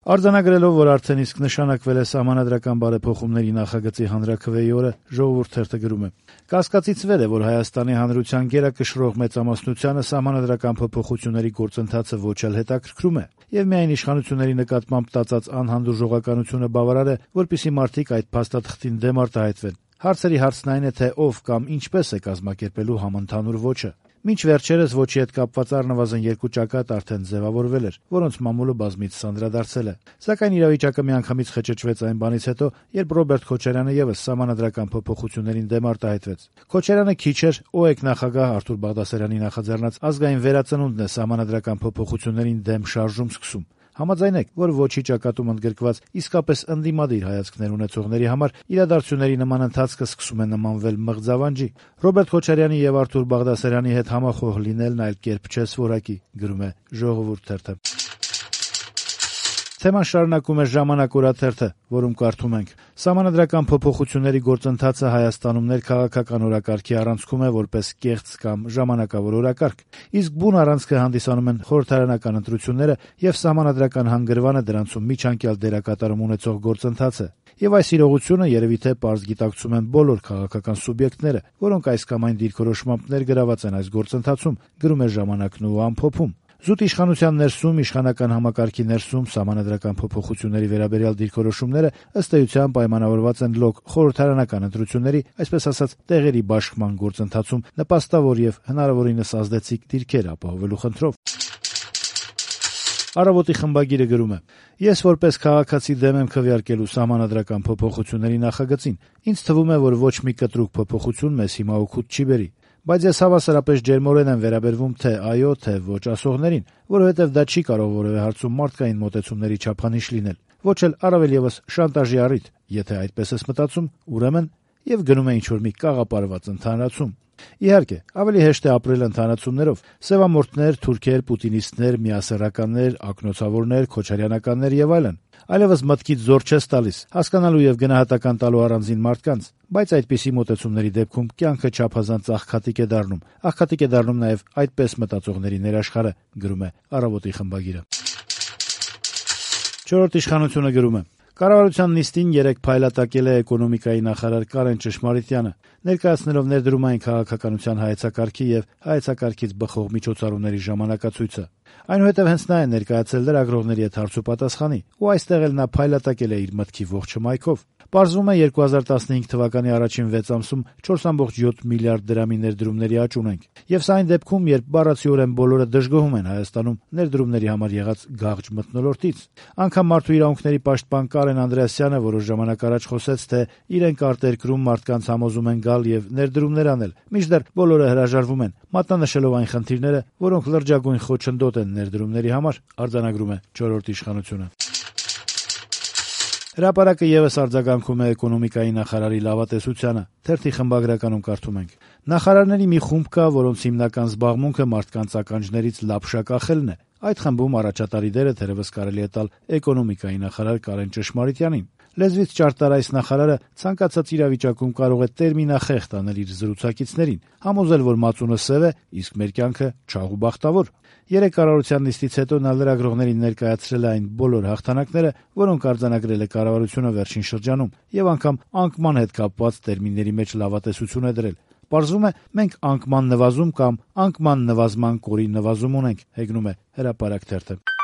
Արձանագրելով, որ արդեն իսկ նշանակվել է սահմանադրական բարեփոխումների նախագծի հանրաքվեի օրը, «Ժողովուրդ» թերթը գրում է. «Կասկածից վեր է, որ Հայաստանի Հանրության գերակշռող մեծամասնությանը սահմանադրական փոփոխությունների գործընթացը ոչ էլ հետաքրքրում է, եւ միայն իշխանությունների նկատմամբ տածած անհանդուրժողականությունը բավարար է, որպեսզի մարդիկ այդ փաստաթղթին դեմ արտահայտվեն։ Հարցերի հարցն այն է, թե ով կամ ինչպես է կազմակերպելու համընդհանուր ոճը։ Մինչ վերջերս ոճի հետ կապված առնվազն 2 ճակատ արդեն ձեւավորվել էր, որոնց մամուլը բազմիցս անդրադարձել է։ Սակայն իրավիճակը միանգամից խճճվեց այն բանից հետո, երբ Ռոբերտ Քոչարյանը եւս սահմանադրական փոփոխություններին դեմ արտահայտվեց։ Քոչարյանը քիչ էր ՕԵԿ նախագահ Արթուր Բաղդասարյանի նախաձեռնած ազգային վերածնունդն է սահմանադրական փոփոխություններին դեմ շարժում սկսում։ Համաձայն եք, որ ոչի ճակատում ընդգրկված իսկապես ընդդիմադիր հայացքներ ունեցողների համար իրադարձությունների նման ընթացքը սկսում է նմանվել մղձավանջի։ Ռոբերտ Քոչարյանի եւ Արթուր Բաղդասարյանի հետ համախոհ լինելն այլ կերպ չէ սովորակի», գրում է «Ժողովուրդ» թերթը։ Թեման շարունակում է «Ժամանակ» օրաթերթը, որում կարդում ենք. «Սահմանադրական փոփոխությունների գործընթացը Հայաստանում ներքաղաքական օրակարգի առանցքում է որպես կեղծ կամ ժամանակավոր օրակարգ, իսկ բուն առանցքը հանդիսանում են խորհրդարանական ընտրությունները եւ սահմանադրական հանգրվանը դրանցում միջանկյալ դերակատարում ունեցող գործընթացը։ Եվ այս իրողությունը երևի թե պարզ գիտակցում են բոլոր քաղաքական սուբյեկտները, որոնք այս կամ այն դիրքորոշմամբ ներգրաված են այս գործընթացում», գրում է «Ժամանակն» ու ամփոփում։ Զուտ իշխանության ներսում, իշխանական համակարգի ներսում սահմանադրական փոփոխությունների վերաբերյալ դիրքորոշումները ըստ էության պայմանավորված են լոկ խորհրդարանական ընտրությունների, այսպես ասած, տեղերի բաշխման գործընթացում նպաստավոր եւ հնարավորինս ազդեցիկ դիրքեր ապահովելու խնդրով։ «Առավոտ»-ի խմբագիրը գրում է. «Ես որպես քաղաքացի դեմ եմ քվեարկելու սահմանադրական փոփոխությունների նախագծին։ Ինձ թվում է, որ ոչ մի կտրուկ փոփոխություն մեզ հիմա օգուտ չի բերի։ Բայց ես հավասարապես ջերմորեն եմ վերաբերվում թե այո, թե ոչ ասողներին, որովհետև դա չի կարող որևէ հարցում մարդկային մոտեցումների չափանիշ լինել, ոչ էլ առավել եւս շանտաժի առիթ։ Եթե այդպես ես մտածում, ուրեմն եւ գնում է ինչ-որ մի կաղապարված ընդհանրացում։ Իհարկե, ավելի հեշտ է ապրել ընդհանրացումներով՝ սևամորթներ, թուրքեր, պուտինիստներ, միասեռականներ, ակնոցավորներ, քոչարյանականներ եւ այլն։ Այլևս մտքից զոր չես տալիս, հասկանալու եւ գնահատական տալու առանձին մարդկանց, բայց այդպիսի մոտեցումների դեպքում կյանքը չափազանց աղքատիկ է դառնում։ Աղքատիկ է դառնում նաեւ այդպես մտածողների ներաշխարհը», գրում է «Առավոտ»-ի խմբագիրը։ «Չորրորդ իշխանությունը» գրում է. «Կառավարության նիստին երեկ փայլատակել է էկոնոմիկայի նախարար Կարեն Ճշմարիտյանը, ներկայացնելով ներդրումային քաղաքականության հայեցակարգի եւ հայեցակարգից բխող միջոցառումների ժամանակացույցը։ Այնուհետև հենց նա է ներկայացել լրագրողների հետ հարցուպատասխանի, ու այստեղ էլ նա փայլատակել է իր մտքի ողջ հմայքով։ Պարզվում է 2015 թվականի առաջին 6 ամսում 4.7 միլիարդ դրամի ներդրումների աճ ունենք։ Եվ սա այն դեպքում, երբ բառացիորեն բոլորը դժգոհում են Հայաստանում ներդրումների համար եղած գաղջ մթնոլորտից։ Անգամ մարդու իրավունքների պաշտպան Կարեն Անդրեասյանը որոշ ժամանակ առաջ խոսեց, թե իրենք արտերկրում մարդկանց համոզում են գալ եւ ներդրումներ անել, մինչդեռ բոլորը հրաժարվում են, մատնանշելով այն խնդիրները, որոնք լրջագույն խոչընդոտ են ներդրումների համար», արձանագրում է «Չորրորդ իշխանությունը»։ Հրապարակը եւս արձագանքում է էկոնոմիկայի նախարարի լավատեսությանը։ Թերթի խմբագրականում կարդում ենք. «Նախարարների մի խումբ կա, որոնց հիմնական զբաղմունքը մարդկանց ականջներից լապշա կախելն է։ Այդ խմբում առաջատարի դերը թերևս կարելի է տալ էկոնոմիկայի նախարար Կարեն Ճշմարիտյանին։ Լեզվից ճարտար այս նախարարը ցանկացած իրավիճակում կարող է տերմինախեղդ անել իր զրուցակիցներին, համոզել, որ մածունը սև է, իսկ մեր կյանքը չաղ ու բախտավոր։ Երեկ կառավարության նիստից հետո նա լրագրողներին ներկայացրել է այն բոլոր հաղթանակները, որոնք արձանագրել է կառավարությունը վերջին շրջանում, եւ անգամ անկման հետ կապված տերմինների մեջ լավատեսություն է դրել։ Պարզվում է, մենք անկման նվազում կամ անկման նվազման կորի նվազում ունենք», հեգնում է Հրապարակ թերթը։